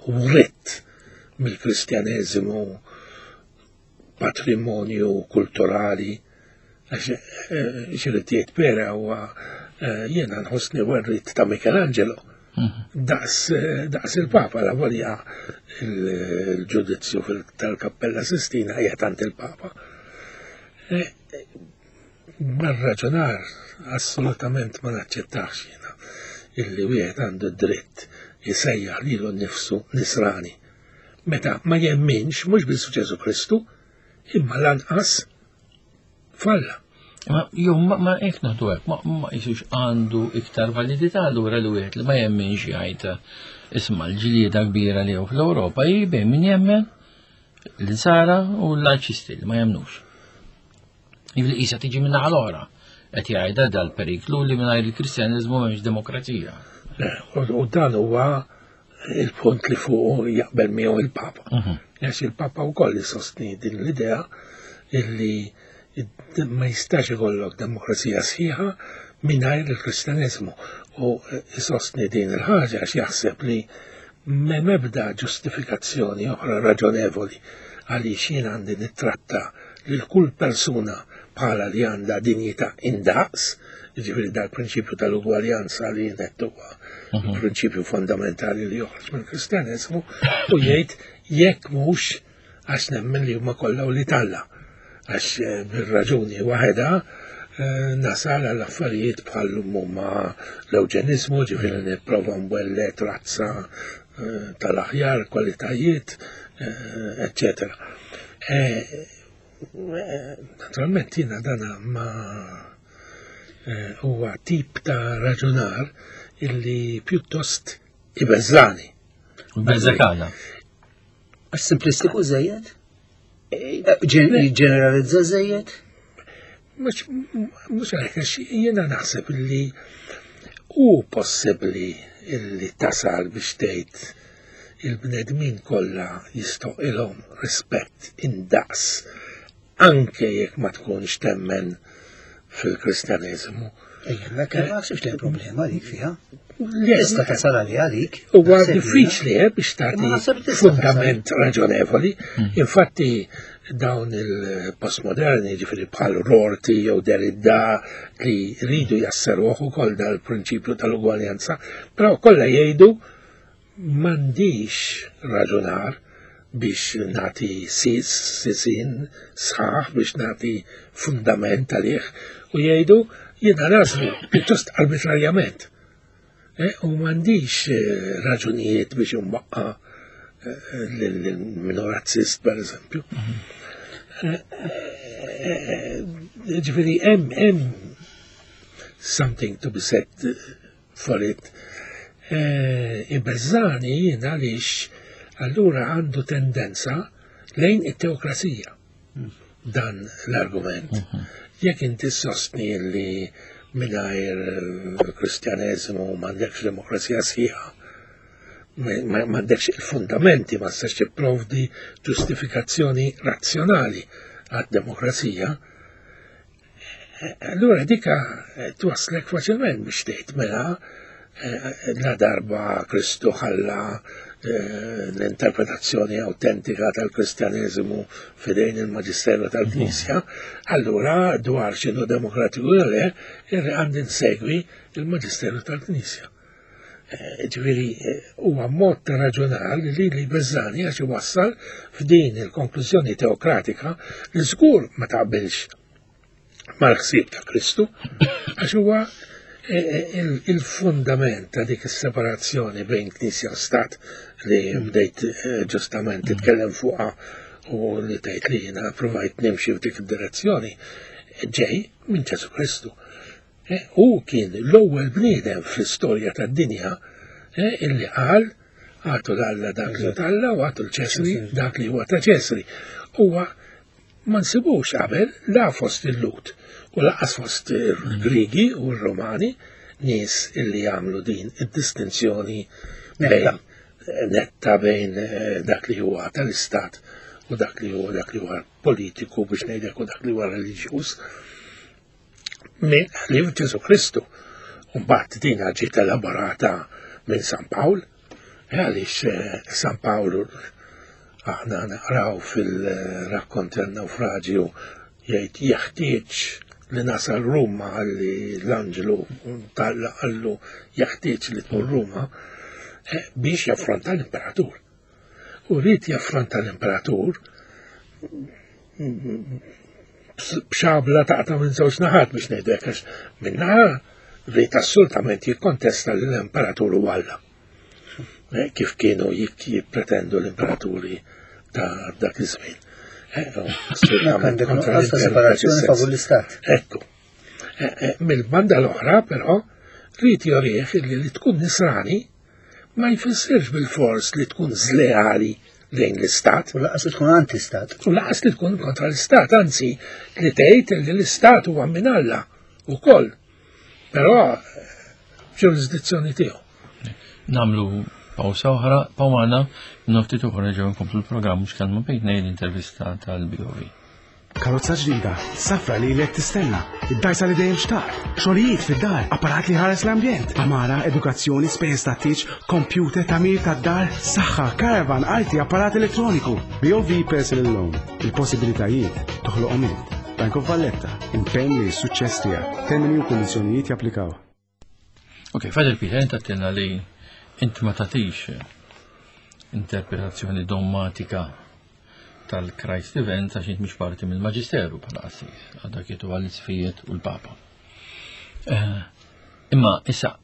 writt mill-Kristjaneżimu patrimonju kulturali għax eh, xirrid jgħid pera huwa eh, jiena nħossni werrit ta' Michelangelo. Mhm. Daqs, eh, daqs il-Papa la volja il-ġudizzju tal-Kappella Sistina hija tant il-Papa. Mar-raġunar assolutament ma naċċettax jiena illi wieħed għandu d-dritt jsejjaħ lilu nnifsu nisrani meta ma jemminx mhux biss f'Ġesù Kristu imma lanqas f'Alla. Ma jew ma hekk naħdu hekk, ma ma jisux għandu iktar validità allura li wieħed li ma jemminx jgħid isma' l-ġlieda kbira li hawn fl-Ewropa hi bejn min jemmen l-insara u l-lajċisti li ma jemmnux. Jibli qisha tiġi minn naħa l-oħra. Qed jgħidha dal-periklu li mingħajr il-Kristjaneżmu m'hemmx demokrazija. U dan huwa il-punt li fuq jaqbel miegħu il-Papa. Mhm. Għax il-Papa wkoll isostni din l-idea illi ma jistax ikollok demokrazija sħiħa mingħajr il-Kristjaneżmu u isostni din il-ħaġa għax jaħseb li M'hemm ebda ġustifikazzjoni oħra raġonevoli għaliex jien għandi nittratta lil kull persuna bħala li għandha dinjità indaqs, jiġifieri dal-prinċipju tal-ugwaljanza li jien qed huwa mhm. prinċipju fondamentali li joħroġ mill-Kristjaneżmu u jgħid jekk mhux għax nemmen li huma kollha u li talla. Għax eh, bir-raġuni waħedha eh, nasal għal affarijiet bħal huma l-euġenizmu, ġifieri nipprova nwellet razza eh, tal-aħjar, kwalitajiet, eccetera. Naturalment jiena dana ma huwa tip ta' raġunar illi pjuttost ibeżżani. Beżżek għala. Għax simplistiku żejjed? Ġeneralizza żejjed? Mhux għalhekk għax jiena naħseb li hu possibbli illi tasal biex tgħid il-bnedmin kollha jistoqilhom rispett indaqs anke jekk ma tkunx temmen fil-Kristjaneżmu. Ejja, ma naħsibx li problema dik fiha. Tista' tasal għalih għalik. Huwa diffiċli eh, biex tagħti fundament raġonevoli. Hmm. Infatti dawn il-postmoderni ġifieri bħal Rorty jew Derrida li rridu jasseruh ukoll dal-prinċipju tal-ugwaljanza, però kollha jgħidu M'għandix raġunar biex nagħti sis, sisin, sħaħ biex nagħti fundament għalih u jgħidu jiena nagħżlu pjuttost arbitrarjament. Eh, u m'għandix eh, raġunijiet biex imwaqqa eh, lil minu razzist per eżempju. Mhm. Ġifieri hemm hemm something to be said for it. Eh, Ibeżżani jien għaliex allura għandu tendenza lejn it-teokrazija dan l-argument. Mhm. Jekk inti sostni li mingħajr kristjaneżmu m'għandekx demokrazija sħiħa, m'għandekx il-fundamenti, ma tistax tipprovdi ġustifikazzjoni razzjonali għad-demokrazija, Allura dika eh, twaslek faċilment biex tgħid mela eh, la darba Kristu ħalla eh, l-interpretazzjoni autentika tal-Kristjaneżimu fidejn il-Maġisteru tal-Knisja, allura dwar x'inhu demokratiku jew le, għandi nsegwi il-Maġisteru tal-Knisja. Ġifieri huwa mod ta' raġunar li li beżani għax iwassal f'din il-konklużjoni teokratika li żgur ma taqbilx mal-ħsieb ta' Kristu għax huwa eh, eh, il-fundament ta' dik is-separazzjoni bejn Knisja u Stat li bdejt eh, ġustament titkellem fuqha u li tgħid li jiena provajt nimxi f'dik id-direzzjoni ġej minn Ġesu Kristu. Eh, hu kien l-ewwel bniedem fl-istorja tad-dinja eh, illi qal għatu l-Alla dak li t'Alla u għatu l-Ċesri dak li huwa ta' Ċesri. Huwa ma nsibux qabel la fost il-Lut u laqas fost il-Grigi u r-Romani nies illi jagħmlu din id-distinzjoni bejn netta bejn eh, dak li huwa tal-istat u dak li huwa dak li huwa politiku biex ngħidlek u dak li huwa reliġjuż. Minn ħlief Ġesu Kristu. Mbagħad din ġiet elaborata minn San Pawl, eh, għaliex eh, San Pawl aħna naqraw fil-rakkont tal-naufraġju jgħid jeħtieġ li nasal Ruma għalli l-anġlu tal għallu jeħtieġ li tmur Ruma eh, biex jaffronta l-imperatur. U rrid jaffronta l-imperatur b'xabla taqta' minn żewġ naħat biex ngħidlek għax minn naħa rrid assolutament jikkontesta li l-imperatur huwa Alla. Eh, kif kienu jippretendu l-imperaturi ta' dak iż-żmien. Eh, għandek nuqqas ta' separazzjoni favur l-istat. Ekku. Eh, mill-banda l-oħra, però, rrid jorih li li tkun nisrani ma jfissirx bil-fors li tkun żleali lejn l-istat. U laqas li tkun anti-istat. U laqas li tkun kontra l-istat, anzi li tgħid li l-istat huwa minn Alla ukoll. Però ġurisdizzjoni tiegħu. Namlu pawsa oħra, pawmana, noftit uħra ġew nkomplu l-programm mhux kalma bejn l-intervista tal-BOV. Karozza ġdida, safra li ilek tistenna, id-dajsa li dejjem xtaqt, xogħlijiet fid-dar, apparat li ħares l-ambjent, għamara, edukazzjoni, spejjeż ta' tieġ, kompjuter, tagħmir tad-dar, saħħa, caravan, arti, apparat elettroniku. BOV Personal Loan, il-possibilitajiet toħloqhom int. Bank of Valletta, impenn li s-suċċess tiegħek. Termini u kundizzjonijiet japplikaw. Ok, Father Peter, inta għattilna li inti ma tatix interpretazzjoni dommatika tal-Christ Event għax int mhux parti mill-Maġisteru bħala qassis, għadha kietu għall-isfijiet u l-Papa. Eh, imma issa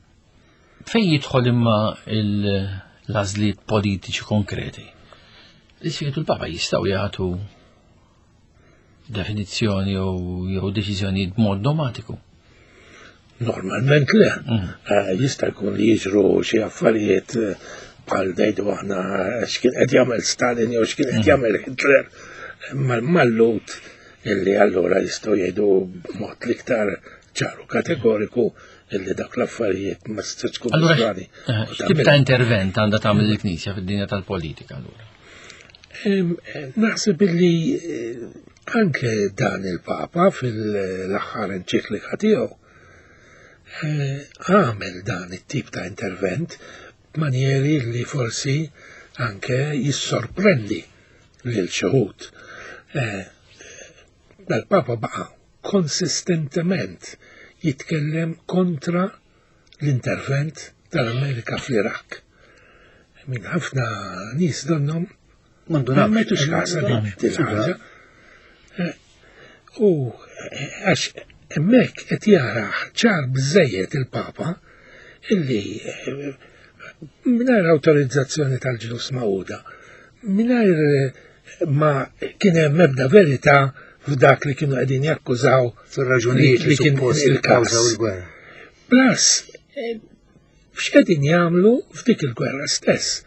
fejn jidħol imma l-għażliet politiċi konkreti? L-isfijiet u l-Papa jistgħu jagħtu definizzjoni jew deċiżjonijiet b'mod domatiku. Normalment le. Mm. Eh, jista' jkun li jiġru xi affarijiet eh, bħal ngħidu aħna x'kien qed jagħmel Stalin jew x'kien qed mm. jagħmel Hitler mal-lut illi allura jistgħu jgħidu b'mod l-iktar ċaru kategoriku illi dak l-affarijiet ma tistax tkun Allura, eh, x'tip ta' intervent għandha tagħmel il-Knisja fid-dinja tal-politika allura? Naħseb illi eh, anke dan il-Papa fil-aħħar enċiklika tiegħu eh, għamel dan it-tip ta' intervent b'manjeri li forsi anke jissorprendi lil xi wħud. Eh, dal-Papa baqa' konsistentement jitkellem kontra l-intervent tal-Amerika fl-Iraq. Minn ħafna nies donnom ma metux kasa din il-ħaġa. Eh, u eh, għax hemmhekk qed jara ċar biżejjed il-Papa illi eh, mingħajr awtorizzazzjoni tal-ġnus Magħquda, mingħajr ma kien hemm ebda verità f'dak li kienu qegħdin jakkużaw fir-raġunijiet li kien il-kawża u l-gwerra. Plus, eh, x'qegħdin jagħmlu f'dik il-gwerra stess,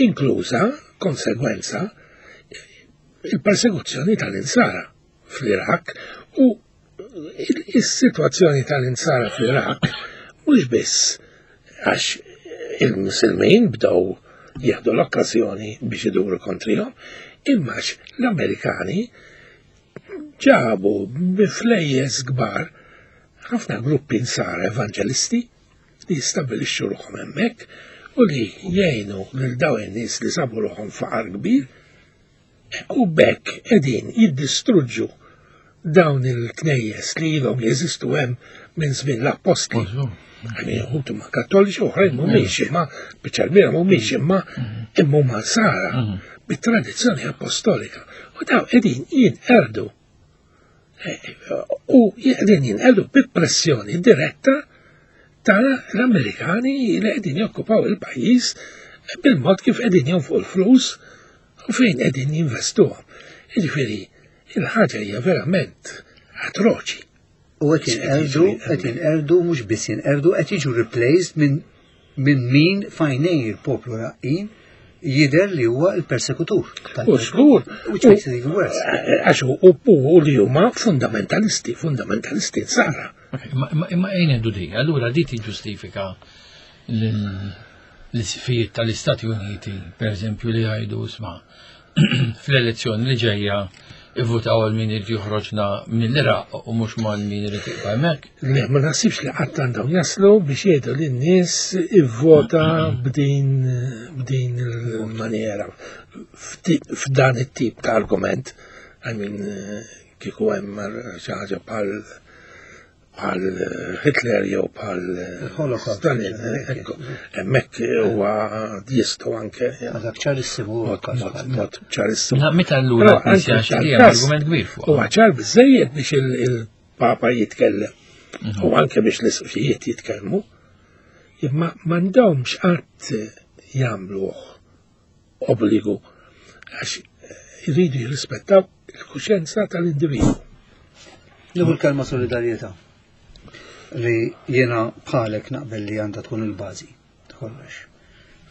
inkluża konsegwenza il-persekuzzjoni tal-insara fl-Iraq u is-sitwazzjoni tal-insara fl-Iraq mhux biss għax il-Musulmin bdew jieħdu l-okkażjoni biex iduru kontrihom, imma l-Amerikani ġabu bi flejjes kbar ħafna gruppi nsara evanġelisti li jistabilixxu ruħhom hemmhekk u li jgħinu lil dawn in-nies li sabu ruħhom faqar kbir U b'hekk qegħdin jiddistruġġu dawn il-knejjes li ilhom jeżistu hemm minn żmien l-appostli. Għani uħud huma kattoliċi oħrajn mhumiex imma biċċa kbira mhumiex imma imma huma sara bit-tradizzjoni apostolika. U daw qegħdin jinqerdu. U qegħdin jinqerdu bi pressjoni diretta tal-Amerikani li qegħdin jokkupaw il-pajjiż bil-mod kif qegħdin jonfqu l-flus u fejn qegħdin jinvestuhom. Jiġifieri, il-ħaġa hija verament atroċi. U qed jinqerdu, qed jinqerdu mhux biss jinqerdu, qed jiġu replaced minn min min fajnej il-poplu raqqin jidher li huwa l-persekutur. U żgur. Which makes it even worse. Għax u li huma fundamentalisti, fundamentalisti nsara. Imma ejn ngħidu di, allura di tiġġustifika l-isfijiet tal-Istati Uniti, per eżempju, li jgħidu sma fl-elezzjoni li ġejja ivvutaw għal min irid joħroġna mill-Iraq u mhux mal min irid jibqa' hemmhekk. Le, ma naħsibx li qatt għandhom jaslu biex jgħidu lin-nies ivvota b'din b'din il-maniera f'dan it-tip ta' argument. I mean, kieku hemm xi ħaġa bħal bħal Hitler jew bħal Stalin, hemmhekk huwa jistgħu anke. Dak ċarissimu. Mod ċarissimu. Meta allura argument kbir fuq. Huwa ċar biżejjed biex il-Papa jitkellem mhm. u anke biex l-isqfijiet jitkellmu, imma m'għandhomx qatt jagħmluh obbligu għax iridu jirrispettaw il-kuxjenza tal-individwu. Nieħu l-kelma solidarjetà li jiena bħalek naqbel li għandha tkun il-bażi ta' kollox.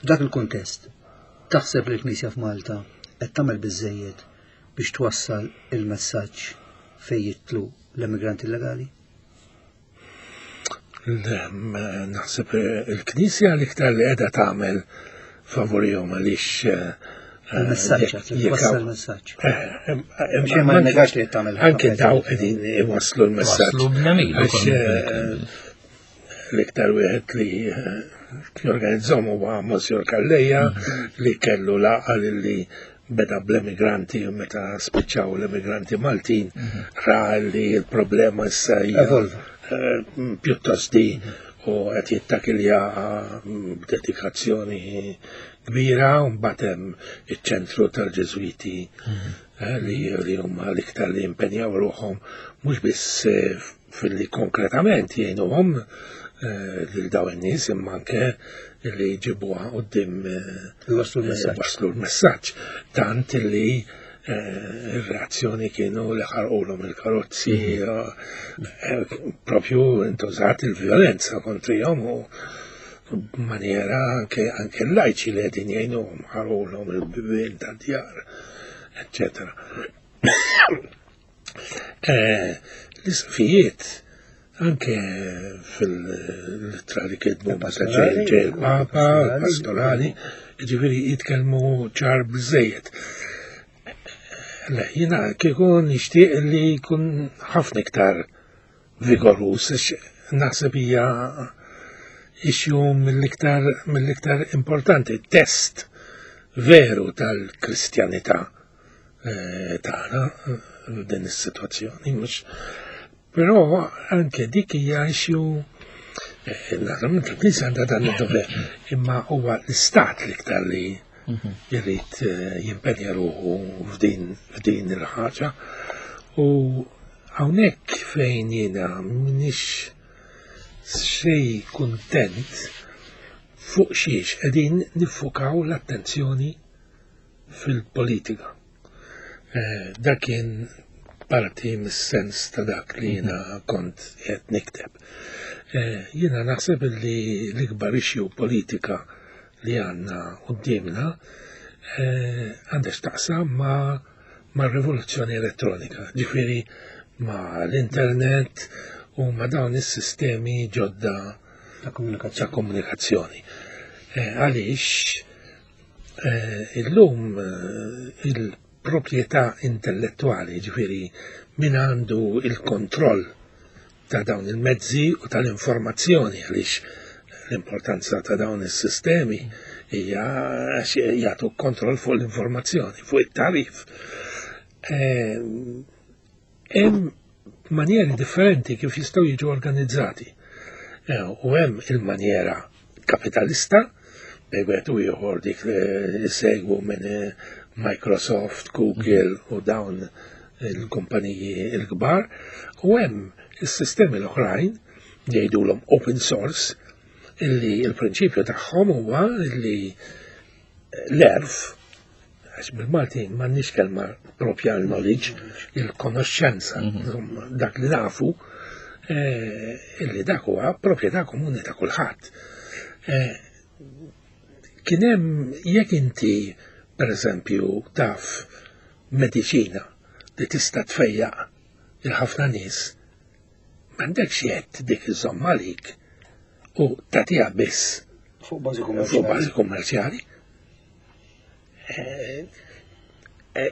F'dak il-kuntest, taħseb li l-Knisja f'Malta qed tagħmel biżejjed biex twassal il-messaġġ fejn jitlu l-immigranti illegali? Naħseb eh, il-Knisja l-iktar li qiegħda tagħmel favorihom għaliex eh, Il-messaġġ, il-messaġġ. Eh, ma negax li tagħmel. Anke daw qegħdin iwasslu l-messaġġ. L-iktar wieħed li jorganizzahom huwa Monsignor Calleja mhm. li kellu laqgħa li beda bl-emigranti u meta spiċċaw l-emigranti Maltin mhm. ra li l-problema issa hija eh, pjuttost di u qed jittakilja mm, b'dedikazzjoni kbira u mbagħad hemm iċ-ċentru tal-Ġeżwiti mhm. eh, li huma l-iktar li impenjaw ruħhom mhux biss eh, filli konkretament jgħinuhom eh, lil daw in-nies imma anke li jġibuha quddiem eh, waslu l-messaġġ. Tant li eh, ir-reazzjoni kienu li ħarqulhom il-karozzi mhm. propju intużat il-vjolenza kontrihom u b'maniera anke anke l-lajċi li qegħdin jgħinuhom ħarqulhom il-bibien tad-djar, eccetera. Eh, l-isqfijiet anke fil-ittra li kitbu meta ġej il-Papa, pastorali, ġifieri jitkellmu ċar biżejjed. Le, jiena kieku nixtieq li jkun ħafna iktar vigorus, naħseb hija issue mill-iktar mill-iktar importanti, test veru tal-Kristjanità. Eh, tagħna eh, din is-sitwazzjoni mhux però anke dik hija issue eh, naturalment il-Knisja għandha dan id-dover imma huwa l-istat l-iktar li mhm. jrid jimpenja ruħu f'din f'din il-ħaġa u hawnhekk fejn jiena m'iniex xej kuntent fuq xiex qegħdin niffukaw l-attenzjoni fil-politika. Eh, dak kien parti mis-sens ta' dak li jiena mhm. kont qed nikteb. Eh, jiena naħseb li l-ikbar issue politika li għandna qudiemna eh, għandha x'taqsam ma' ma' rivoluzzjoni elettronika, ġifieri ma' l-internet u ma' dawn is-sistemi ġodda ta' komunikazzjoni. Eh, għaliex illum il-proprjetà intellettwali, ġifieri min għandu il-kontroll ta' dawn il-mezzi u tal-informazzjoni għaliex l-importanza ta' dawn is-sistemi hija għax jagħtu kontroll fuq l-informazzjoni, fuq it-tarif. Ehm, hemm manjeri differenti kif jistgħu jiġu organizzati. Eh, u hemm il-manjera kapitalista, bej wieħed u ieħor dik li segwu minn eh, Microsoft, Google u dawn il-kumpaniji l-kbar, u hemm is-sistemi l-oħrajn jgħidulhom open source illi il-prinċipju tagħhom huwa illi l-erf għax bil-Malti m'għandniex kelma propja knowledge, il-konoxxenza, mhm. dak li nafu, eh, illi dak huwa proprjetà komuni ta' kulħadd. Eh, kien hemm jekk inti pereżempju taf mediċina li tista' tfejjaq il-ħafna nies, m'għandekx jett dik iżomm għalik u tagħtiha biss fuq bażi kummerċjali. Eh, eh,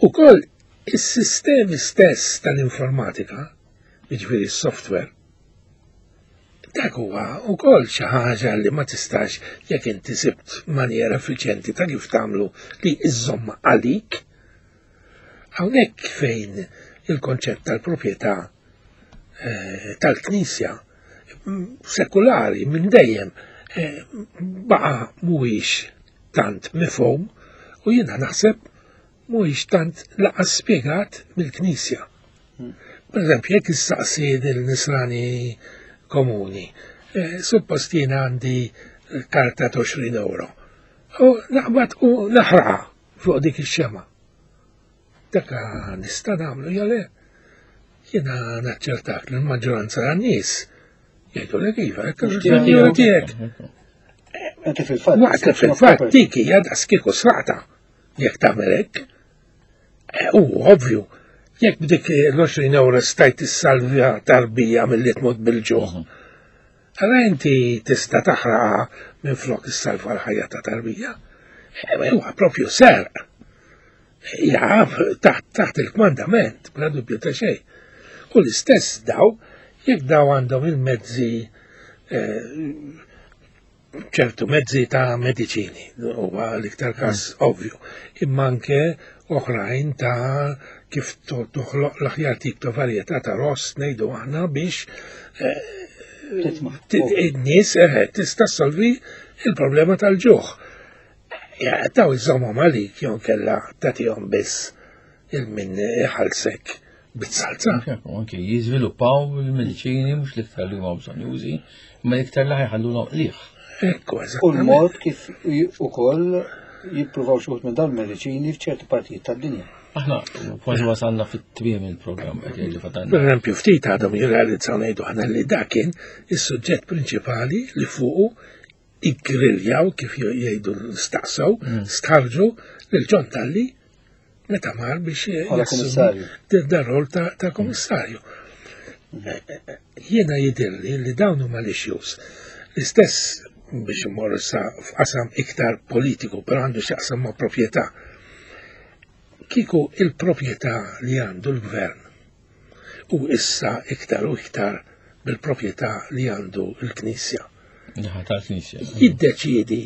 ukoll is-sistemi stess tal-informatika, jiġifieri s-software, dak huwa wkoll xi ħaġa li ma tistax jekk inti sibt manjera effiċjenti ta' kif tagħmlu li iżżomm għalik. Hawnhekk fejn il-konċett tal-proprjetà eh, tal-Knisja sekulari minn dejjem eh, baqa mhuwiex tant mifhum u jiena naħseb mhuwiex tant laqas spjegat mill-Knisja. Per eżempju, jekk issaqsi il-nisrani komuni, eh, suppost jiena għandi karta ta' 20 euro. U naqbad u naħraqa fuq dik ix-xema. Dak nista' nagħmlu jew le? Jiena naċċertak li l-maġġoranza tan-nies jgħidu li iva, hekk tiegħek. Anke fil-fatt. Waqt li fil-fatt dik hija daqs kieku sraqta jekk tagħmel hekk. Eh, u ovvju, jekk b'dik l-20 euro stajt tissalvja tarbija milli tmut bil-ġuħ. Mhm. Għala inti tista' taħraqa minn flok issalva l-ħajja ta' tarbija. Eh, huwa propju serq. Jaf taħt il-kmandament, bla dubju ta' xejn. U l-istess daw, jekk daw għandhom il-mezzi eh, ċertu mezzi ta' mediċini, huwa l-iktar każ mm. ovvju, imma anke oħrajn ta' kif toħloq l-aħjar tip ta' varjetà ta' ross ngħidu aħna biex eh, in-nies eh, tista' solvi il-problema tal-ġuħ. Taw iżommhom għalik jew kella tagħtihom biss il-min iħallsek bit-salza. Anke jiżviluppaw il-mediċini mhux l-iktar li huma bżonjużi, imma l-iktar li ħajħallulhom qliħ. Ekku, U l-mod kif ukoll jippruvaw xi minn dawn il-mediċini f'ċerti partijiet tad-dinja. Aħna kważi wasalna fit-tmiem il-programm qed jgħid li fatalna. Per eżempju, ftit għadhom jirrealizzaw ngħidu aħna li dak kien is-suġġett prinċipali li fuqu iggriljaw kif jgħidu staqsew, mm. stħarġu lil John Talli meta mar biex jassumi dar rol ta' komissarju. Mm. Eh, eh, eh, jiena jidirli li dawn huma l-issues. L-istess biex immorru sa f'qasam iktar politiku, però għandu x'jaqsam ma' proprjetà. Kieku il-proprjetà li għandu l-gvern u issa iktar u iktar bil-proprjetà li għandu l-Knisja. Jiddeċiedi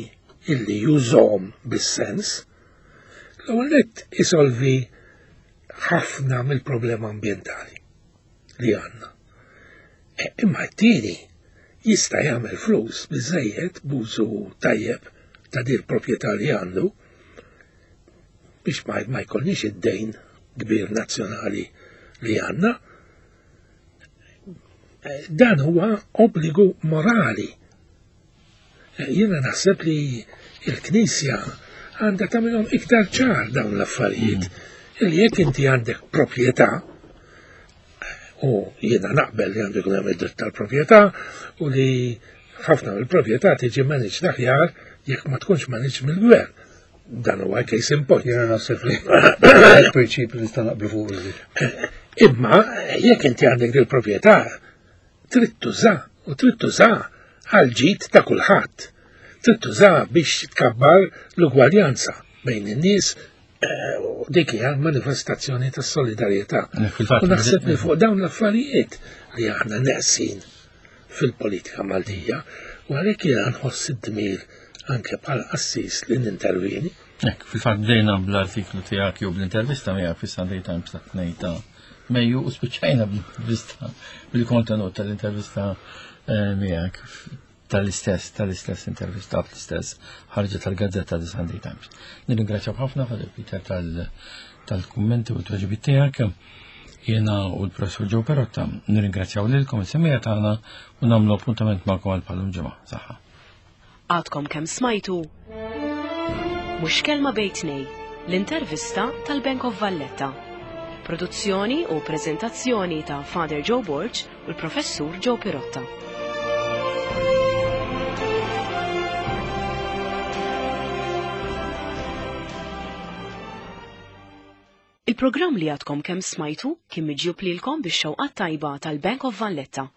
illi jużhom bis-sens, l-ewwel nett isolvi ħafna mill-problema ambjentali li għandna. E, imma t-tieni jista' jagħmel flus biżejjed b'użu tajjeb ta' din proprjetà li għandu biex ma, ma jkollniex id-dejn kbir nazzjonali li għandna. Dan huwa obbligu morali. Jiena naħseb li il-Knisja għandha tagħmilhom iktar ċar dawn l-affarijiet. Mm. Illi jekk inti għandek proprjetà, u jiena naqbel li għandu jkun hemm id-dritt tal-proprjetà u li ħafna mill-proprjetà tiġi managed aħjar jekk ma tkunx managed mill-gvern. Dan huwa case in point. Jiena naħseb li prinċipju nista' naqblu fuq. Imma jekk inti għandek il-proprjetà trid tuża u trid tuża għal ġid ta' kulħadd. Trid tuża biex tkabbar l-ugwaljanza bejn in-nies eh, u dik hija manifestazzjoni ta' solidarjetà. U naħseb li fuq dawn l-affarijiet li aħna neqsin fil-politika Maltija u għalhekk jiena nħoss id-dmir anke bħala qassis li nintervieni. Hekk, fil-fatt bdejna bl-artiklu tiegħek jew bl-intervista miegħek fis-Sunday Times ta' tnejn ta' Mejju u spiċċajna bl-intervista bil-kontenut tal-intervista eh, miegħek tal-istess tal-istess intervista fl-istess ħarġa tal-gazzetta The Sunday Times. Nirringrazzjaw ħafna Father Peter tal-kummenti u t-tweġibiet tiegħek. Jiena u l-Professur Joe Perotta nirringrazzjaw lilkom is-semija tagħna u nagħmlu appuntament magħkom għal bħalum ġimgħa. Saħħa. Għadkom kemm smajtu Mhux kelma bejn tnej, l-intervista tal-Bank of Valletta. Produzzjoni u preżentazzjoni ta' Father Joe Borg u l-Professur Joe Pirotta. Il-programm li għadkom kemm smajtu kien miġjub lilkom bix-xewqat tajba tal-Bank of Valletta.